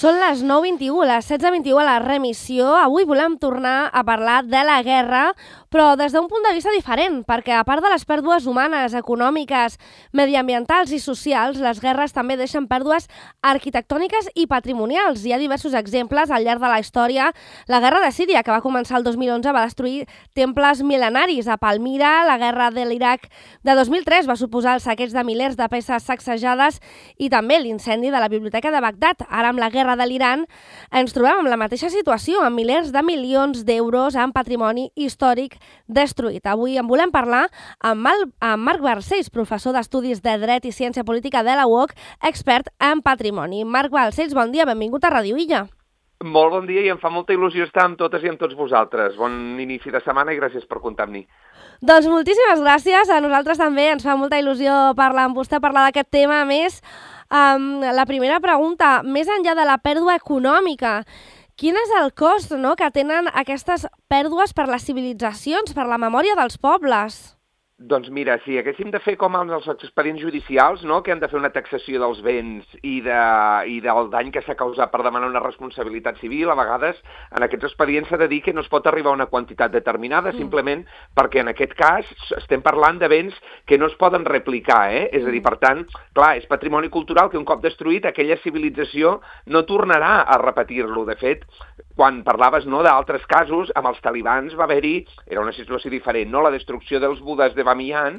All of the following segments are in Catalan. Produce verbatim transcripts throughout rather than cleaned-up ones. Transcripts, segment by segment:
Són les nou vint-i-u, les setze vint-i-u a la remissió. Avui volem tornar a parlar de la guerra, però des d'un punt de vista diferent, perquè a part de les pèrdues humanes, econòmiques, mediambientals i socials, les guerres també deixen pèrdues arquitectòniques i patrimonials. Hi ha diversos exemples al llarg de la història. La guerra de Síria, que va començar el dos mil onze, va destruir temples mil·lenaris a Palmira. La guerra de l'Iraq de dos mil tres va suposar el saqueig de milers de peces sacsejades i també l'incendi de la biblioteca de Bagdad. Ara, amb la guerra de l'Iran, ens trobem amb la mateixa situació, amb milers de milions d'euros en patrimoni històric destruït. Avui en volem parlar amb, Mal amb Marc Balcells, professor d'Estudis de Dret i Ciència Política de la U O C, expert en patrimoni. Marc Balcells, bon dia, benvingut a Ràdio Illa. Molt bon dia i em fa molta il·lusió estar amb totes i amb tots vosaltres. Bon inici de setmana i gràcies per comptar amb mi. Doncs moltíssimes gràcies. A nosaltres també ens fa molta il·lusió parlar amb vostè, parlar d'aquest tema. A més, um, la primera pregunta, més enllà de la pèrdua econòmica, quin és el cost, no?, que tenen aquestes pèrdues per les civilitzacions, per la memòria dels pobles? Doncs mira, si haguéssim de fer com els expedients judicials, no?, que han de fer una taxació dels béns i, de, i del dany que s'ha causat per demanar una responsabilitat civil, a vegades en aquests expedients s'ha de dir que no es pot arribar a una quantitat determinada, mm. simplement perquè en aquest cas estem parlant de béns que no es poden replicar, eh? És a dir, per tant, clar, és patrimoni cultural que un cop destruït aquella civilització no tornarà a repetir-lo. De fet, quan parlaves, no, d'altres casos, amb els talibans va haver-hi, era una situació diferent, no?, la destrucció dels budes de Bamiyan,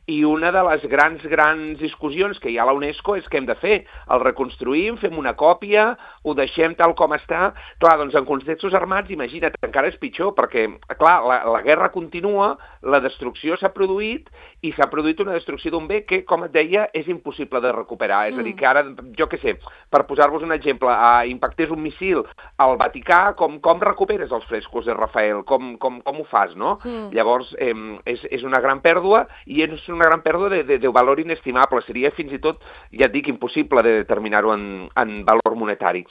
i una de les grans, grans discussions que hi ha a la UNESCO és què hem de fer. El reconstruïm, fem una còpia, ho deixem tal com està. Clar, doncs en contextos armats, imagina't, encara és pitjor, perquè, clar, la, la guerra continua, la destrucció s'ha produït, i s'ha produït una destrucció d'un bé que, com et deia, és impossible de recuperar. Mm. És a dir, que ara, jo què sé, per posar-vos un exemple, uh, impactés un missil al Vaticà, com, com recuperes els frescos de Rafael? Com, com, com ho fas, no? Mm. Llavors, eh, és, és una gran pèrdua, i és una gran pèrdua de, de, de valor inestimable. Seria fins i tot, ja et dic, impossible de determinar-ho en, en valor monetari.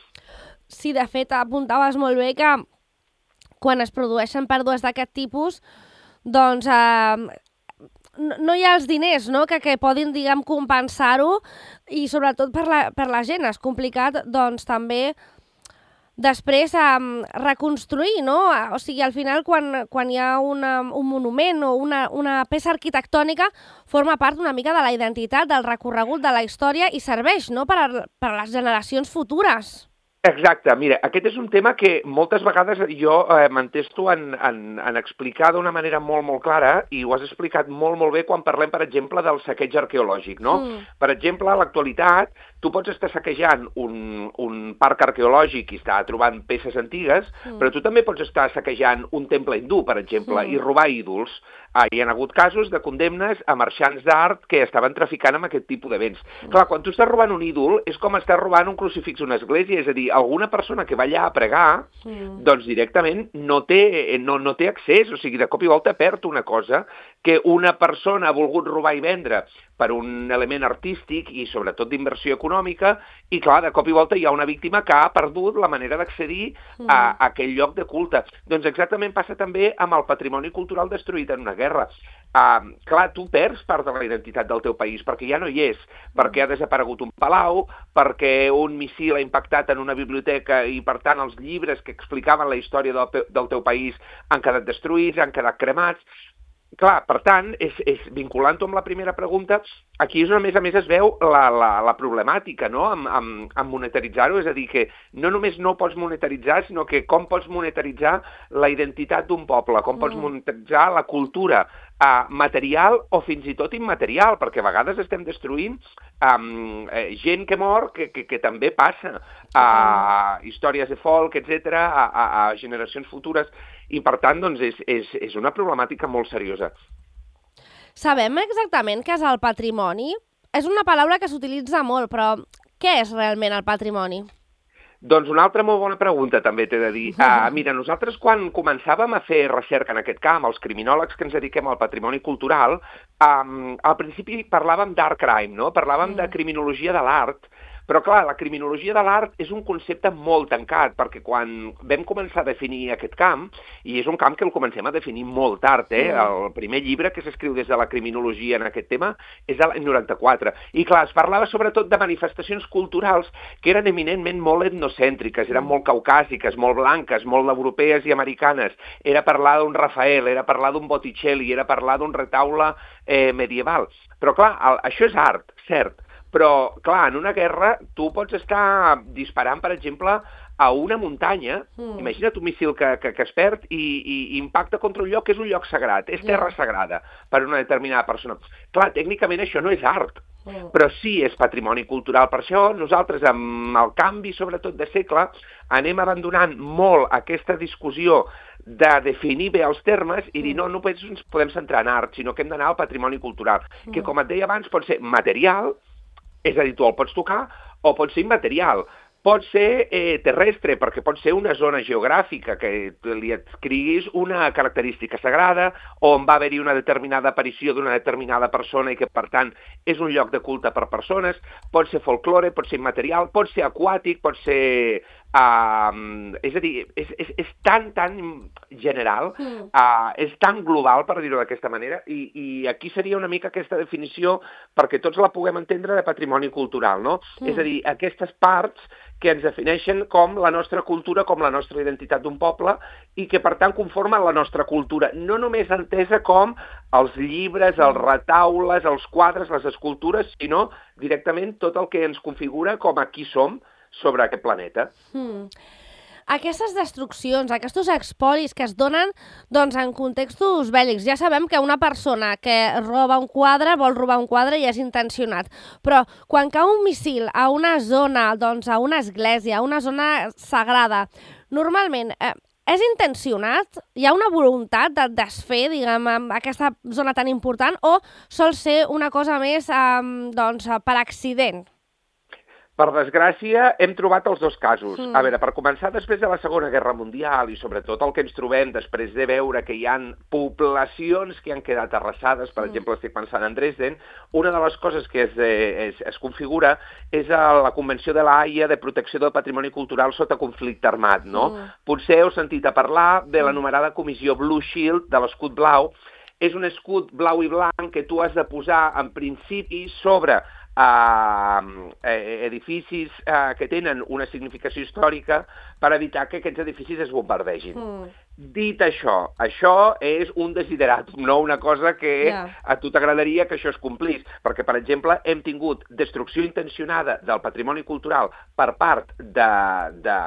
Sí, de fet, apuntaves molt bé que quan es produeixen pèrdues d'aquest tipus, doncs eh, no, no hi ha els diners, no?, que, que podin, diguem, compensar-ho, i sobretot per la, per la gent és complicat, doncs, també després um, reconstruir, no? O sigui, al final, quan, quan hi ha una, un monument o una, una peça arquitectònica, forma part una mica de la identitat, del recorregut de la història i serveix, no?, per a, per a les generacions futures. Exacte, mira, aquest és un tema que moltes vegades jo eh, m'entesto en, en, en explicar d'una manera molt, molt clara, i ho has explicat molt, molt bé quan parlem, per exemple, del saqueig arqueològic, no? Mm. Per exemple, a l'actualitat, tu pots estar saquejant un, un parc arqueològic i estar trobant peces antigues, mm. però tu també pots estar saquejant un temple hindú, per exemple, mm. i robar ídols. Ah, hi ha hagut casos de condemnes a marxants d'art que estaven traficant amb aquest tipus de béns. Mm. Clar, quan tu estàs robant un ídol, és com estàs robant un crucifix a una església, és a dir, alguna persona que va allà a pregar, mm. doncs directament no té, no, no té accés, o sigui, de cop i volta perd una cosa que una persona ha volgut robar i vendre per un element artístic i sobretot d'inversió econòmica, i clar, de cop i volta hi ha una víctima que ha perdut la manera d'accedir mm. a, a aquell lloc de culte. Doncs exactament passa també amb el patrimoni cultural destruït en una guerra. Uh, clar, tu perds part de la identitat del teu país perquè ja no hi és, perquè ha desaparegut un palau, perquè un missil ha impactat en una biblioteca i, per tant, els llibres que explicaven la història del, del teu país han quedat destruïts, han quedat cremats. Clar, per tant, és, és vinculant-ho amb la primera pregunta, aquí és on a més a més es veu la, la, la problemàtica, no?, amb, amb, amb monetaritzar-ho, és a dir, que no només no pots monetaritzar, sinó que com pots monetaritzar la identitat d'un poble, com pots mm. monetaritzar la cultura uh, material o fins i tot immaterial, perquè a vegades estem destruint um, eh, gent que mor, que, que, que també passa a uh, històries de folk, etcètera, a, a, a generacions futures, i per tant, doncs, és, és, és una problemàtica molt seriosa. Sabem exactament què és el patrimoni? És una paraula que s'utilitza molt, però què és realment el patrimoni? Doncs una altra molt bona pregunta també t'he de dir. Uh, mira, nosaltres quan començàvem a fer recerca en aquest camp, els criminòlegs que ens dediquem al patrimoni cultural, um, al principi parlàvem d'art crime, no? Parlàvem mm. de criminologia de l'art, Però, clar, la criminologia de l'art és un concepte molt tancat, perquè quan vam començar a definir aquest camp, i és un camp que el comencem a definir molt tard, eh? El primer llibre que s'escriu des de la criminologia en aquest tema és de l'any noranta-quatre. I, clar, es parlava sobretot de manifestacions culturals que eren eminentment molt etnocèntriques, eren molt caucàsiques, molt blanques, molt europees i americanes. Era parlar d'un Rafael, era parlar d'un Botticelli, era parlar d'un retaule eh, medieval. Però, clar, el, això és art, cert. Però, clar, en una guerra tu pots estar disparant, per exemple, a una muntanya, mm. imagina't un missil que, que, que es perd i, i, i impacta contra un lloc que és un lloc sagrat, és terra yeah. sagrada per una determinada persona. Clar, tècnicament això no és art, mm. però sí és patrimoni cultural. Per això nosaltres, amb el canvi, sobretot de segle, anem abandonant molt aquesta discussió de definir bé els termes i dir no, no ens podem centrar en art, sinó que hem d'anar al patrimoni cultural, mm. que, com et deia abans, pot ser material, és a dir, tu el pots tocar, o pot ser immaterial. Pot ser eh, terrestre, perquè pot ser una zona geogràfica que li adscriguis una característica sagrada, on va haver-hi una determinada aparició d'una determinada persona i que, per tant, és un lloc de culte per persones. Pot ser folklore, pot ser immaterial, pot ser aquàtic, pot ser... Uh, és a dir, és, és, és tan, tan general, mm. uh, és tan global, per dir-ho d'aquesta manera, i, i aquí seria una mica aquesta definició perquè tots la puguem entendre de patrimoni cultural, no? Mm. És a dir, aquestes parts que ens defineixen com la nostra cultura, com la nostra identitat d'un poble, i que, per tant, conformen la nostra cultura, no només entesa com els llibres, els retaules, els quadres, les escultures, sinó directament tot el que ens configura com a qui som sobre aquest planeta. Hmm. Aquestes destruccions, aquests expolis que es donen doncs, en contextos bèl·lics. Ja sabem que una persona que roba un quadre vol robar un quadre i és intencionat, però quan cau un missil a una zona, doncs, a una església, a una zona sagrada, normalment eh, és intencionat? Hi ha una voluntat de desfer, diguem, aquesta zona tan important, o sol ser una cosa més eh, doncs, per accident? Per desgràcia, hem trobat els dos casos. Mm. A veure, per començar, després de la Segona Guerra Mundial i sobretot el que ens trobem després de veure que hi ha poblacions que han quedat arrasades, per mm. exemple, estic pensant en Dresden, una de les coses que es, es, es configura és la Convenció de la Haia de Protecció del Patrimoni Cultural sota conflicte armat, no? Mm. Potser heu sentit a parlar de l'anomenada Comissió Blue Shield de l'escut blau. És un escut blau i blanc que tu has de posar, en principi, sobre Uh, edificis uh, que tenen una significació històrica per evitar que aquests edificis es bombardegin. Mm. Dit això, això és un desideratum, no una cosa que yeah. a tu t'agradaria que això es complís, perquè, per exemple, hem tingut destrucció intencionada del patrimoni cultural per part de, de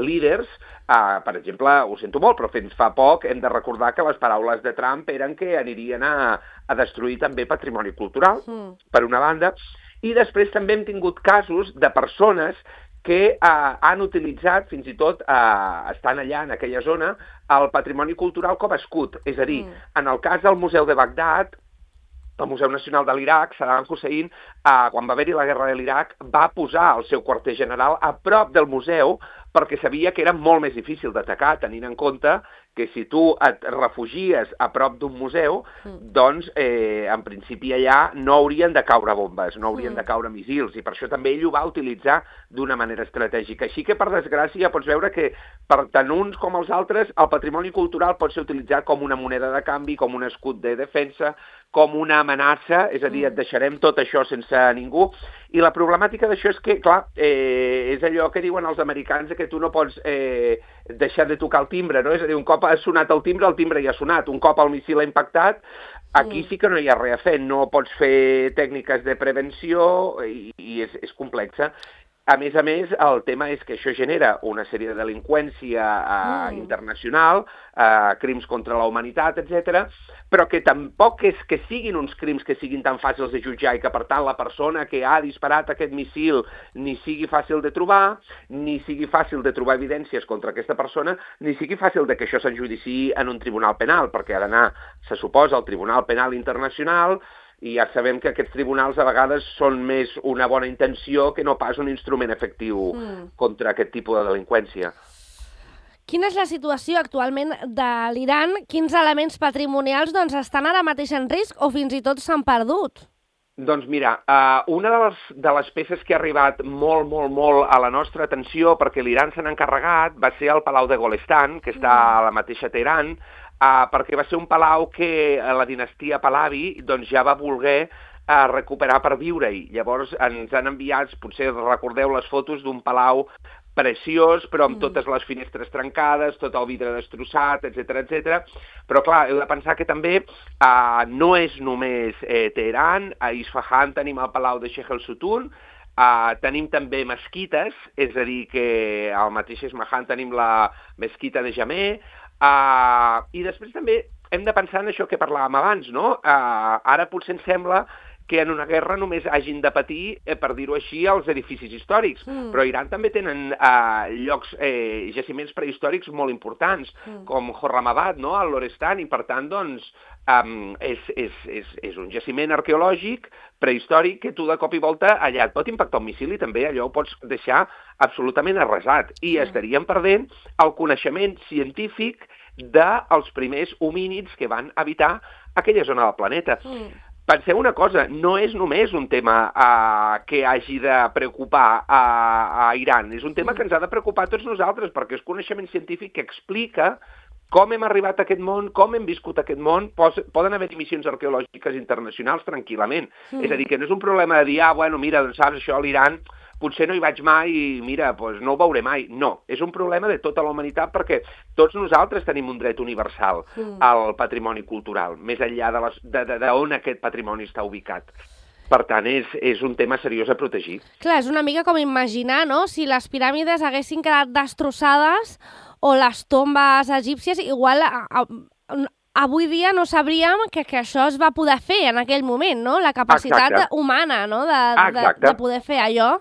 líders, uh, per exemple, ho sento molt, però fins fa poc hem de recordar que les paraules de Trump eren que anirien a, a destruir també patrimoni cultural, mm. per una banda, i després també hem tingut casos de persones que eh, han utilitzat, fins i tot eh, estan allà en aquella zona, el patrimoni cultural com a escut. És a dir, mm. en el cas del Museu de Bagdad, el Museu Nacional de l'Iraq, Saddam Hussein, eh, quan va haver-hi la guerra de l'Iraq, va posar el seu quarter general a prop del museu perquè sabia que era molt més difícil d'atacar, tenint en compte que si tu et refugies a prop d'un museu, mm. doncs, eh, en principi allà no haurien de caure bombes, no haurien mm. de caure missils, i per això també ell ho va utilitzar d'una manera estratègica. Així que, per desgràcia, pots veure que per tant uns com els altres, el patrimoni cultural pot ser utilitzat com una moneda de canvi, com un escut de defensa, com una amenaça, és a dir, et deixarem tot això sense ningú. I la problemàtica d'això és que, clar, eh, és allò que diuen els americans, que tu no pots eh, deixar de tocar el timbre, no? És a dir, un cop ha sonat el timbre, el timbre ja ha sonat. Un cop el missil ha impactat, aquí sí que no hi ha res a fer. No pots fer tècniques de prevenció i, i és, és complexa. A més a més, el tema és que això genera una sèrie de delinqüència eh, mm. internacional, eh, crims contra la humanitat, etcètera, però que tampoc és que siguin uns crims que siguin tan fàcils de jutjar i que, per tant, la persona que ha disparat aquest missil ni sigui fàcil de trobar, ni sigui fàcil de trobar evidències contra aquesta persona, ni sigui fàcil de que això s'enjudiciï en un tribunal penal, perquè ha d'anar, se suposa, al Tribunal Penal Internacional, i ja sabem que aquests tribunals a vegades són més una bona intenció que no pas un instrument efectiu mm. contra aquest tipus de delinqüència. Quina és la situació actualment de l'Iran? Quins elements patrimonials doncs, estan ara mateix en risc o fins i tot s'han perdut? Doncs mira, uh, una de les, de les peces que ha arribat molt, molt, molt a la nostra atenció, perquè l'Iran se n'ha encarregat, va ser el Palau de Golestan, que està a la mateixa Teheran, uh, perquè va ser un palau que la dinastia Pahlavi doncs, ja va voler uh, recuperar per viure-hi. Llavors ens han enviat, potser recordeu les fotos d'un palau preciós, però amb totes les finestres trencades, tot el vidre destrossat, etcètera, etcètera. Però, clar, heu de pensar que també uh, no és només eh, Teheran, a Isfahan tenim el Palau de Sheikh el-Sutun, uh, tenim també mesquites, és a dir, que al mateix Isfahan tenim la mesquita de Jamé, uh, i després també hem de pensar en això que parlàvem abans, no? Uh, ara potser ens sembla que en una guerra només hagin de patir, eh, per dir-ho així, els edificis històrics. Mm. Però Iran també tenen eh, llocs, eh, jaciments prehistòrics molt importants, mm. com Horramabad, no?, al Lorestan, i per tant, doncs, um, és, és, és, és un jaciment arqueològic prehistòric que tu de cop i volta allà et pot impactar un missil i també allò ho pots deixar absolutament arrasat. I mm. estaríem perdent el coneixement científic dels primers homínids que van habitar aquella zona del planeta. Mm. Penseu una cosa, no és només un tema uh, que hagi de preocupar a, a Iran, és un tema que ens ha de preocupar a tots nosaltres, perquè és coneixement científic que explica com hem arribat a aquest món, com hem viscut aquest món, poden haver missions arqueològiques internacionals tranquil·lament. Mm. És a dir, que no és un problema de dir, ah, bueno, mira, doncs saps, això a l'Iran potser no hi vaig mai i, mira, doncs no ho veuré mai. No, és un problema de tota la humanitat perquè tots nosaltres tenim un dret universal mm. al patrimoni cultural, més enllà de, les, de, de, de on aquest patrimoni està ubicat. Per tant, és, és un tema seriós a protegir. Clar, és una mica com imaginar, no?, si les piràmides haguessin quedat destrossades o les tombes egípcies, igual a, a, avui dia no sabríem que, que això es va poder fer en aquell moment, no?, la capacitat Exacte. humana, no?, de, de, de poder fer allò.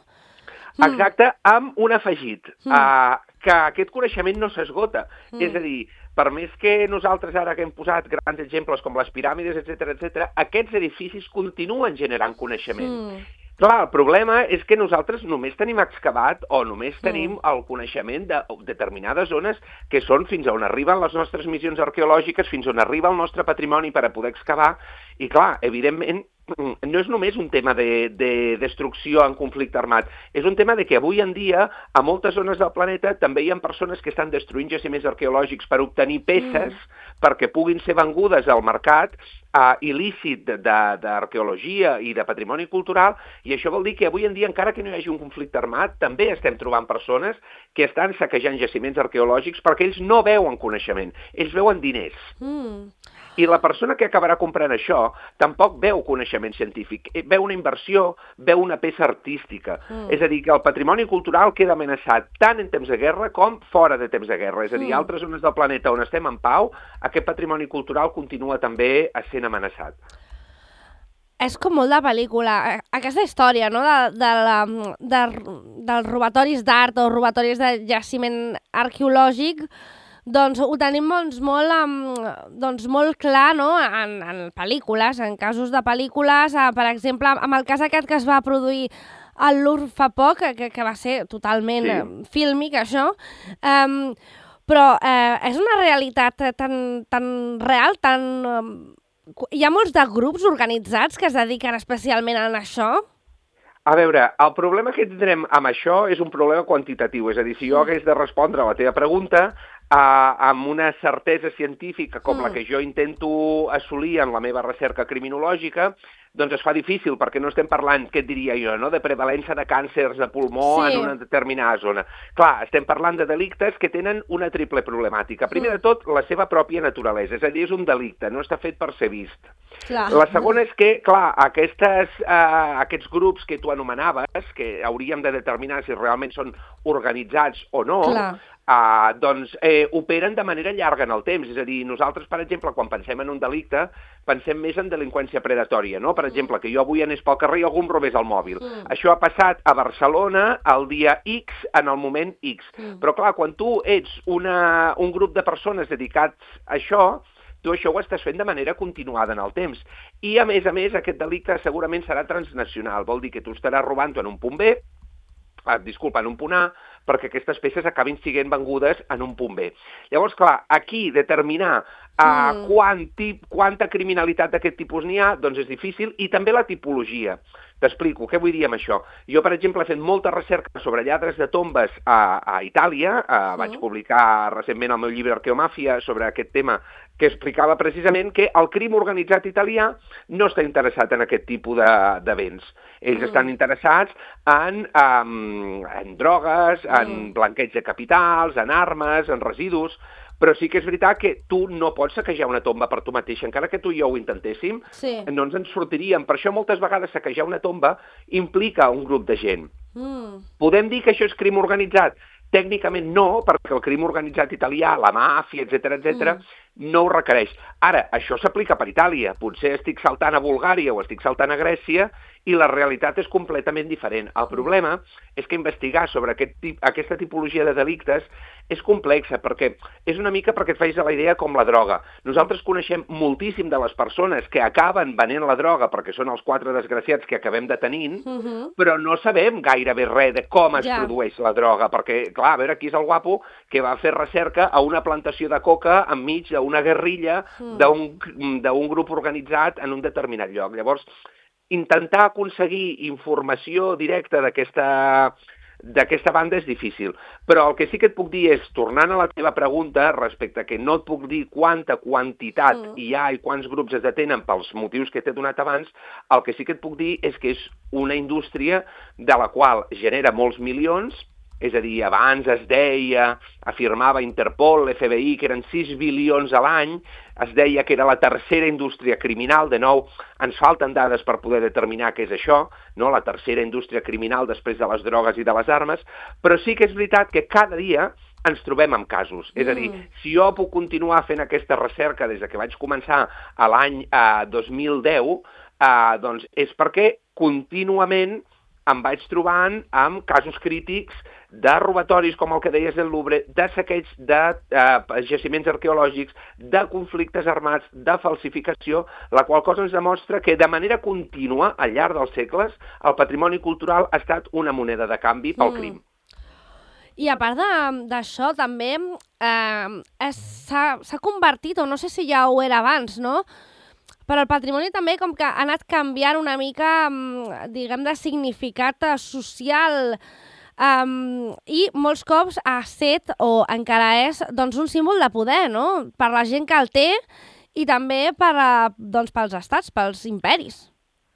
Exacte, amb un afegit, mm. uh, que aquest coneixement no s'esgota. Mm. És a dir, per més que nosaltres ara que hem posat grans exemples com les piràmides, etcètera, etcètera, aquests edificis continuen generant coneixement. Mm. Clar, el problema és que nosaltres només tenim excavat o només tenim mm. el coneixement de determinades zones que són fins on arriben les nostres missions arqueològiques, fins on arriba el nostre patrimoni per a poder excavar, i clar, evidentment, no és només un tema de, de destrucció en conflicte armat, és un tema de que avui en dia a moltes zones del planeta també hi ha persones que estan destruint jaciments arqueològics per obtenir peces mm. perquè puguin ser vengudes al mercat uh, il·lícit d'arqueologia i de patrimoni cultural, i això vol dir que avui en dia, encara que no hi hagi un conflicte armat, també estem trobant persones que estan saquejant jaciments arqueològics perquè ells no veuen coneixement, ells veuen diners. Mm. I la persona que acabarà comprant això tampoc veu coneixement científic, veu una inversió, veu una peça artística. Mm. És a dir, que el patrimoni cultural queda amenaçat tant en temps de guerra com fora de temps de guerra. És a dir, mm. altres zones del planeta on estem en pau, aquest patrimoni cultural continua també sent amenaçat. És com molt de pel·lícula. Aquesta història, no?, de, de la, de, dels robatoris d'art o robatoris de jaciment arqueològic, doncs ho tenim doncs, molt, um, doncs, molt clar, no?, en, en pel·lícules, en casos de pel·lícules, eh, per exemple, amb el cas aquest que es va produir al Louvre fa poc, que, que va ser totalment sí. fílmic, això, um, però eh, és una realitat tan, tan real, tan... Um, hi ha molts de grups organitzats que es dediquen especialment a això? A veure, el problema que tindrem amb això és un problema quantitatiu, és a dir, si jo hagués de respondre a la teva pregunta uh, amb una certesa científica com mm. la que jo intento assolir en la meva recerca criminològica, doncs es fa difícil, perquè no estem parlant, què et diria jo, no?, de prevalença de càncers de pulmó sí. en una determinada zona. Clar, estem parlant de delictes que tenen una triple problemàtica. Primer mm. de tot, la seva pròpia naturalesa, és a dir, és un delicte, no està fet per ser vist. Clar. La segona és que, clar, aquestes, uh, aquests grups que tu anomenaves, que hauríem de determinar si realment són organitzats o no, clar. Uh, doncs eh, operen de manera llarga en el temps. És a dir, nosaltres, per exemple, quan pensem en un delicte, pensem més en delinqüència predatòria, no? Per exemple, que jo avui anés pel carrer i algú em robés el mòbil. Mm. Això ha passat a Barcelona el dia X, en el moment X. Mm. Però clar, quan tu ets una, un grup de persones dedicats a això, tu això ho estàs fent de manera continuada en el temps. I, a més a més, aquest delicte segurament serà transnacional. Vol dir que tu estaràs robant en un punt B, Ah, disculpa, en un punt A, perquè aquestes peces acabin sent vengudes en un punt B. Llavors, clar, aquí determinar uh, mm. quant tip, quanta criminalitat d'aquest tipus n'hi ha, doncs és difícil, i també la tipologia. T'explico, què vull dir amb això? Jo, per exemple, he fet molta recerca sobre lladres de tombes a, a Itàlia, uh, sí. Vaig publicar recentment el meu llibre Arqueomàfia sobre aquest tema, que explicava precisament que el crim organitzat italià no està interessat en aquest tipus de, de béns. Ells mm. estan interessats en, um, en drogues, mm. en blanqueig de capitals, en armes, en residus, però sí que és veritat que tu no pots saquejar una tomba per tu mateix. Encara que tu i jo ho intentéssim, sí. no ens en sortiríem. Per això moltes vegades saquejar una tomba implica un grup de gent. Mm. Podem dir que això és crim organitzat? Tècnicament no, perquè el crim organitzat italià, la màfia, etcètera, etcètera, mm. no ho requereix. Ara, això s'aplica per Itàlia. Potser estic saltant a Bulgària o estic saltant a Grècia i la realitat és completament diferent. El problema és que investigar sobre aquest tip, aquesta tipologia de delictes és complexa, perquè és una mica perquè et facis a la idea com la droga. Nosaltres coneixem moltíssim de les persones que acaben venent la droga perquè són els quatre desgraciats que acabem detenint, uh -huh. però no sabem gairebé res de com es ja. produeix la droga, perquè, clar, a veure, aquí és el guapo que va fer recerca a una plantació de coca enmig d'una guerrilla uh -huh. d'un grup organitzat en un determinat lloc. Llavors, intentar aconseguir informació directa d'aquesta d'aquesta banda és difícil. Però el que sí que et puc dir és, tornant a la teva pregunta respecte a que no et puc dir quanta quantitat mm. hi ha i quants grups es detenen pels motius que t'he donat abans, el que sí que et puc dir és que és una indústria de la qual genera molts milions. És a dir, abans es deia, afirmava Interpol, l'F B I, que eren sis bilions a l'any, es deia que era la tercera indústria criminal, de nou, ens falten dades per poder determinar què és això, no? La tercera indústria criminal després de les drogues i de les armes, però sí que és veritat que cada dia ens trobem amb casos. Mm. És a dir, si jo puc continuar fent aquesta recerca des que vaig començar a l'any eh, dos mil deu, eh, doncs és perquè contínuament em vaig trobant amb casos crítics de robatoris, com el que deies del Louvre, de saqueig de eh, jaciments arqueològics, de conflictes armats, de falsificació, la qual cosa ens demostra que de manera contínua, al llarg dels segles, el patrimoni cultural ha estat una moneda de canvi pel mm. crim. I a part d'això, també eh, s'ha convertit, o no sé si ja ho era abans, no?, però el patrimoni també com que ha anat canviant una mica, diguem, de significat social, um, i molts cops ha set, o encara és, doncs, un símbol de poder, no?, per la gent que el té i també per, doncs, pels estats, pels imperis.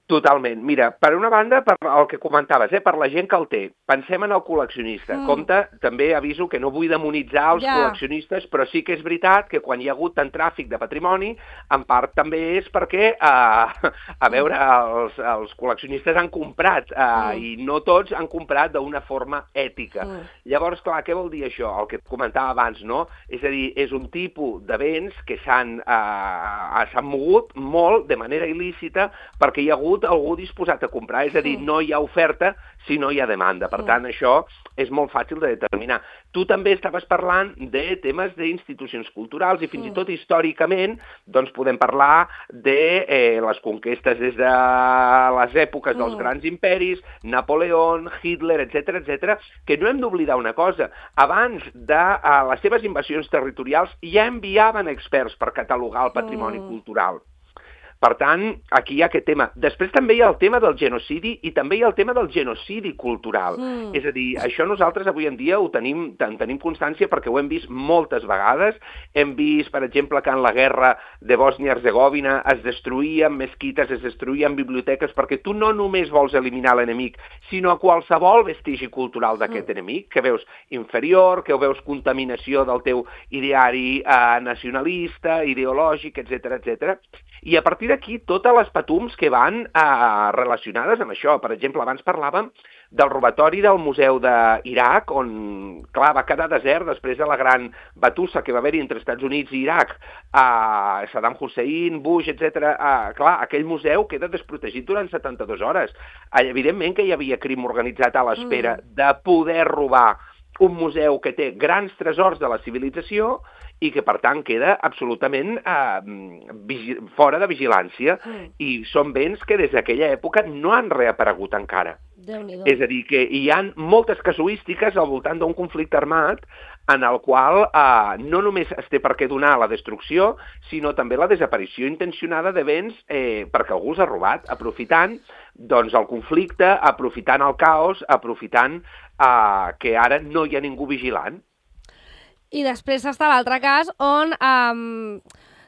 Totalment. Mira, per una banda, per el que comentaves, eh, per la gent que el té. Pensem en el col·leccionista. Mm. Compte, també aviso que no vull demonitzar els yeah. col·leccionistes, però sí que és veritat que quan hi ha hagut tant tràfic de patrimoni, en part també és perquè, eh, a veure, els, els col·leccionistes han comprat, eh, mm. i no tots han comprat d'una forma ètica. Mm. Llavors, clar, què vol dir això? El que et comentava abans, no? És a dir, és un tipus de béns que s'han eh, s'han mogut molt de manera il·lícita perquè hi ha hagut algú disposat a comprar, és a dir, no hi ha oferta si no hi ha demanda. Per tant, això és molt fàcil de determinar. Tu també estaves parlant de temes d'institucions culturals i fins i tot històricament doncs podem parlar de eh, les conquestes des de les èpoques dels grans imperis, Napoleó, Hitler, etcètera, etcètera, que no hem d'oblidar una cosa. Abans de eh, les seves invasions territorials ja enviaven experts per catalogar el patrimoni mm. cultural. Per tant, aquí hi ha aquest tema. Després també hi ha el tema del genocidi i també hi ha el tema del genocidi cultural. Mm. És a dir, això nosaltres avui en dia ho tenim, en tenim constància perquè ho hem vist moltes vegades. Hem vist, per exemple, que en la guerra de Bòsnia-Hercegovina es destruïen mesquites, es destruïen biblioteques, perquè tu no només vols eliminar l'enemic, sinó a qualsevol vestigi cultural d'aquest mm. enemic, que veus inferior, que veus contaminació del teu ideari eh, nacionalista, ideològic, etcètera, etcètera. I a partir d'aquí, totes les patums que van eh, relacionades amb això. Per exemple, abans parlàvem del robatori del Museu d'Iraq, on, clar, va quedar desert després de la gran batussa que va haver-hi entre Estats Units i Iraq, eh, Saddam Hussein, Bush, etcètera. Eh, clar, aquell museu queda desprotegit durant setanta-dues hores. Eh, evidentment que hi havia crim organitzat a l'espera mm. de poder robar un museu que té grans tresors de la civilització i que, per tant, queda absolutament eh, fora de vigilància. Mm. I són béns que des d'aquella època no han reaparegut encara. Déu-n'hi-do. És a dir, que hi ha moltes casuístiques al voltant d'un conflicte armat en el qual eh, no només es té per què donar la destrucció, sinó també la desaparició intencionada de béns eh, perquè algú els ha robat, aprofitant doncs, el conflicte, aprofitant el caos, aprofitant eh, que ara no hi ha ningú vigilant. I després està l'altre cas on, um,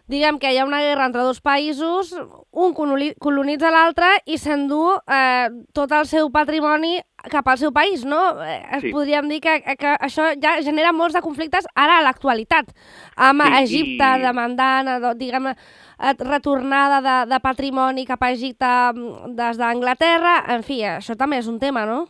diguem que hi ha una guerra entre dos països, un colonitza l'altre i s'endú eh, tot el seu patrimoni cap al seu país, no? Eh, Sí. Podríem dir que, que això ja genera molts de conflictes ara a l'actualitat, amb Sí, Egipte i- demandant, eh, diguem, eh, retornada de, de patrimoni cap a Egipte mm, des d'Anglaterra, en fi, això també és un tema, no?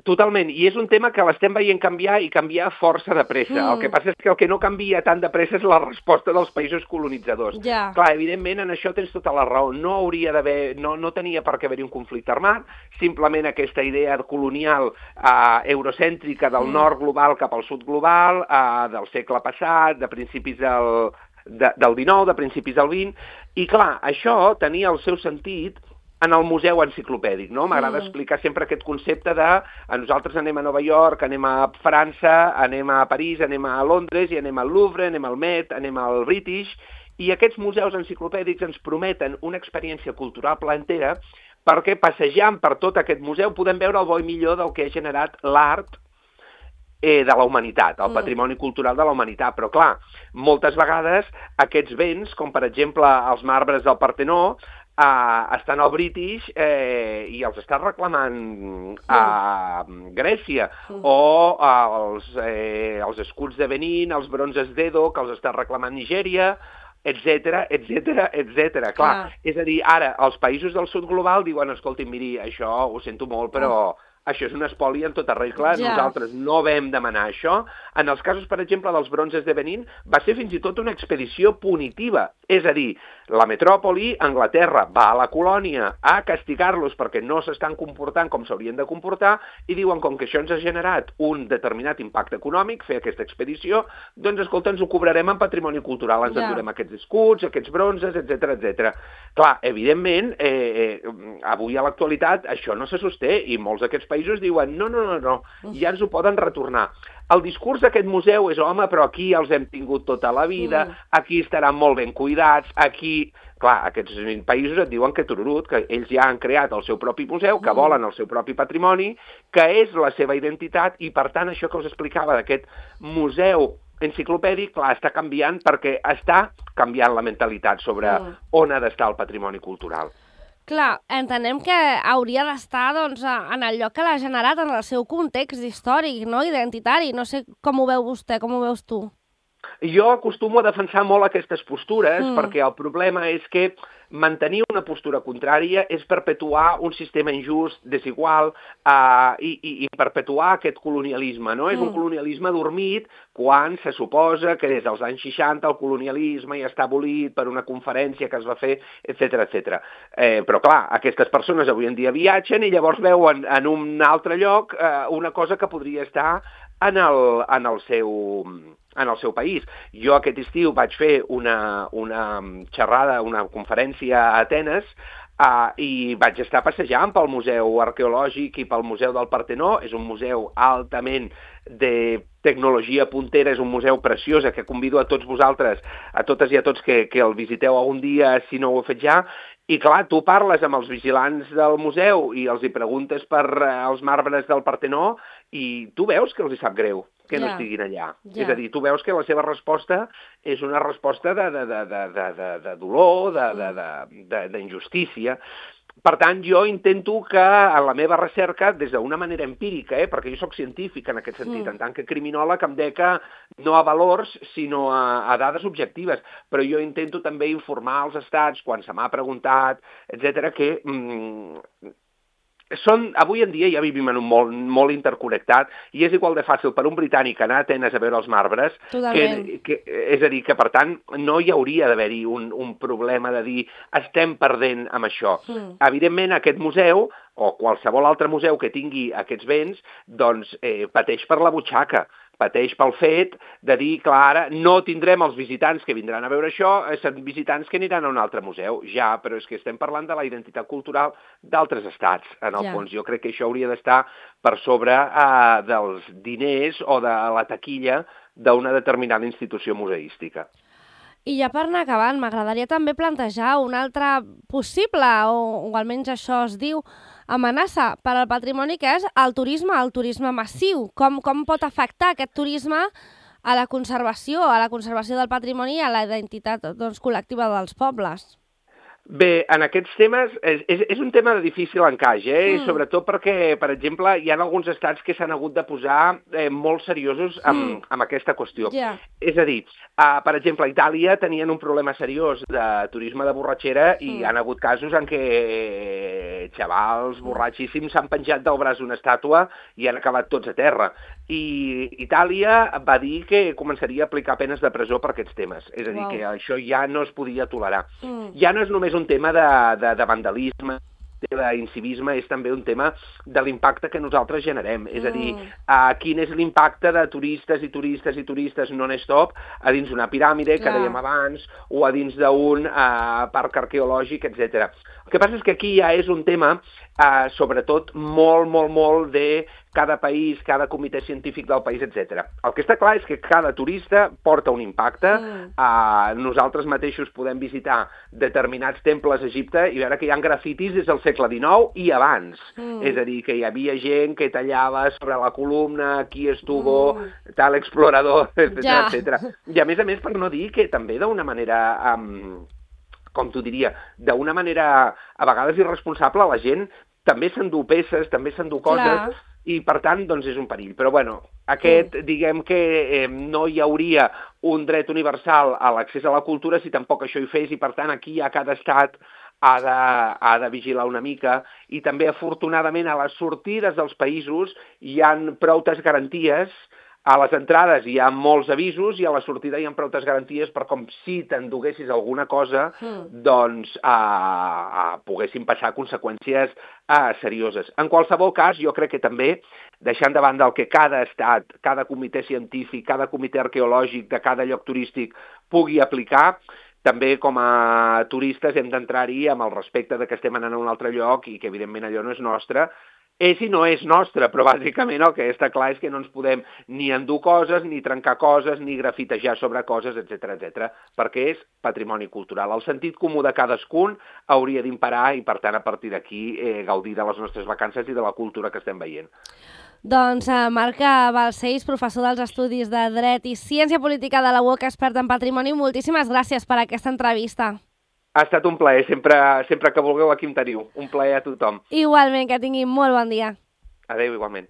Totalment, i és un tema que l'estem veient canviar i canviar força de pressa. Mm. El que passa és que el que no canvia tan de pressa és la resposta dels països colonitzadors. Ja. Clar, evidentment, en això tens tota la raó. No hauria d'haver, no, no tenia per què haver-hi un conflicte armat, simplement aquesta idea colonial eh, eurocèntrica del Mm. nord global cap al sud global, eh, del segle passat, de principis del, de, del dinou, de principis del vint, i clar, això tenia el seu sentit en el museu enciclopèdic, no? M'agrada Mm. explicar sempre aquest concepte de a nosaltres anem a Nova York, anem a França, anem a París, anem a Londres i anem al Louvre, anem al Met, anem al British, i aquests museus enciclopèdics ens prometen una experiència cultural plantera perquè passejant per tot aquest museu podem veure el bo i millor del que ha generat l'art eh, de la humanitat, el Mm. patrimoni cultural de la humanitat. Però, clar, moltes vegades aquests béns, com per exemple els marbres del Partenó, eh, estan al British eh, i els està reclamant a Grècia, Mm. o els, eh, els escuts de Benín, els bronzes d'Edo, que els està reclamant Nigèria, etcètera, etcètera, etcètera. Clar, Clar. és a dir, ara, els països del sud global diuen, escolti, miri, això ho sento molt, però això és un espoli en tota regla, Ja. nosaltres no vam demanar això. En els casos, per exemple, dels bronzes de Benín, va ser fins i tot una expedició punitiva. És a dir, la metròpoli, Anglaterra, va a la colònia a castigar-los perquè no s'estan comportant com s'haurien de comportar i diuen, com que això ens ha generat un determinat impacte econòmic, fer aquesta expedició, doncs, escolta, ens ho cobrarem en patrimoni cultural, ens Ja. endurem aquests escuts, aquests bronzes, etcètera, etcètera. Clar, evidentment, eh, eh, avui a l'actualitat això no se sosté i molts d'aquests països diuen no, no, no, no, ja ens ho poden retornar. El discurs d'aquest museu és, home, però aquí els hem tingut tota la vida, Mm. aquí estaran molt ben cuidats, aquí... Clar, aquests països et diuen que tururut, que ells ja han creat el seu propi museu, que Mm. volen el seu propi patrimoni, que és la seva identitat, i per tant això que us explicava d'aquest museu enciclopèdic, clar, està canviant perquè està canviant la mentalitat sobre Mm. on ha d'estar el patrimoni cultural. Clar, entenem que hauria d'estar doncs, en el lloc que l'ha generat, en el seu context històric, no? Identitari. No sé com ho veu vostè, com ho veus tu. Jo acostumo a defensar molt aquestes postures Mm. perquè el problema és que mantenir una postura contrària és perpetuar un sistema injust, desigual, eh, i, i, i perpetuar aquest colonialisme, no? Mm. És un colonialisme dormit quan se suposa que des dels anys seixanta el colonialisme ja està abolit per una conferència que es va fer, etcètera, etcètera. Eh, però clar, aquestes persones avui en dia viatgen i llavors veuen en un altre lloc eh, una cosa que podria estar en el, en el seu... en el seu país. Jo aquest estiu vaig fer una, una xerrada, una conferència a Atenes, uh, i vaig estar passejant pel Museu Arqueològic i pel Museu del Partenó. És un museu altament de tecnologia puntera, és un museu preciós que convido a tots vosaltres, a totes i a tots que, que el visiteu algun dia si no ho heu fet ja. I clar, tu parles amb els vigilants del museu i els hi preguntes per uh, els marbres del Partenó i tu veus que els hi sap greu que no Ja. estiguin allà. Ja. És a dir, tu veus que la seva resposta és una resposta de, de, de, de, de, de, de dolor, d'injustícia. Per tant, jo intento que en la meva recerca, des d'una manera empírica, eh, perquè jo sóc científic en aquest sentit, Mm. en tant que criminòleg em deca no a valors, sinó a, a dades objectives, però jo intento també informar els estats, quan se m'ha preguntat, etcètera, que... Mm, són, avui en dia ja vivim en un món molt interconnectat i és igual de fàcil per un britànic anar a Atenes a veure els marbres, que, que, és a dir, que per tant no hi hauria d'haver-hi un, un problema de dir estem perdent amb això. Mm. Evidentment aquest museu o qualsevol altre museu que tingui aquests béns doncs eh, pateix per la butxaca, pateix pel fet de dir, clar, ara no tindrem els visitants que vindran a veure això, són visitants que aniran a un altre museu. Ja, però és que estem parlant de la identitat cultural d'altres estats, en el Ja. fons. Jo crec que això hauria d'estar per sobre eh, dels diners o de la taquilla d'una determinada institució museística. I ja per anar acabant, m'agradaria també plantejar una altra possible, o, o almenys això es diu, amenaça per al patrimoni, que és el turisme, el turisme massiu. Com, com pot afectar aquest turisme a la conservació, a la conservació del patrimoni i a la identitat doncs, col·lectiva dels pobles? Bé, en aquests temes, és, és, és un tema de difícil encaix, eh? Mm. Sobretot perquè, per exemple, hi ha alguns estats que s'han hagut de posar eh, molt seriosos amb, mm. amb aquesta qüestió. Yeah. És a dir, uh, per exemple, a Itàlia tenien un problema seriós de turisme de borratxera i mm. hi ha hagut casos en què xavals borratxíssims s'han penjat del braç una estàtua i han acabat tots a terra. I Itàlia va dir que començaria a aplicar penes de presó per aquests temes. És a dir, wow. que això ja no es podia tolerar. Mm. Ja no és només un tema de, de, de vandalisme, d'incivisme, és també un tema de l'impacte que nosaltres generem. Mm. És a dir, uh, quin és l'impacte de turistes i turistes i turistes non-stop a dins d'una piràmide, que dèiem abans, o a dins d'un uh, parc arqueològic, etcètera. El que passa és que aquí ja és un tema, uh, sobretot, molt, molt, molt de cada país, cada comitè científic del país, etcètera. El que està clar és que cada turista porta un impacte. Mm. Uh, nosaltres mateixos podem visitar determinats temples a Egipte i veure que hi ha grafitis des del segle dinou i abans. Mm. És a dir, que hi havia gent que tallava sobre la columna, aquí estuvo mm. tal explorador, etcètera, ja. etcètera. I a més a més, per no dir que també d'una manera... Um, com t'ho diria, d'una manera a vegades irresponsable, la gent també s'endú peces, també s'endú coses, clar. I per tant, doncs és un perill. Però bueno, aquest, mm. diguem que eh, no hi hauria un dret universal a l'accés a la cultura si tampoc això hi fes, i per tant aquí ja cada estat ha de, ha de vigilar una mica, i també afortunadament a les sortides dels països hi ha proutes garanties. A les entrades hi ha molts avisos i a la sortida hi ha proutes garanties per com si t'enduguessis alguna cosa, mm. doncs a, a poguessin passar conseqüències a, serioses. En qualsevol cas, jo crec que també, deixant de banda el que cada estat, cada comitè científic, cada comitè arqueològic de cada lloc turístic pugui aplicar, també com a turistes hem d'entrar-hi amb el respecte de que estem anant a un altre lloc i que evidentment allò no és nostre. És i no és nostre, però bàsicament el que està clar és que no ens podem ni endur coses, ni trencar coses, ni grafitejar sobre coses, etcètera, etcètera, perquè és patrimoni cultural. El sentit comú de cadascun hauria d'imparar i, per tant, a partir d'aquí, eh, gaudir de les nostres vacances i de la cultura que estem veient. Doncs eh, Marc Balcells, professor dels Estudis de Dret i Ciència Política de la U O C, expert en patrimoni, moltíssimes gràcies per aquesta entrevista. Ha estat un plaer, sempre, sempre que vulgueu aquí em teniu. Un plaer a tothom. Igualment, que tinguin molt bon dia. Adéu, igualment.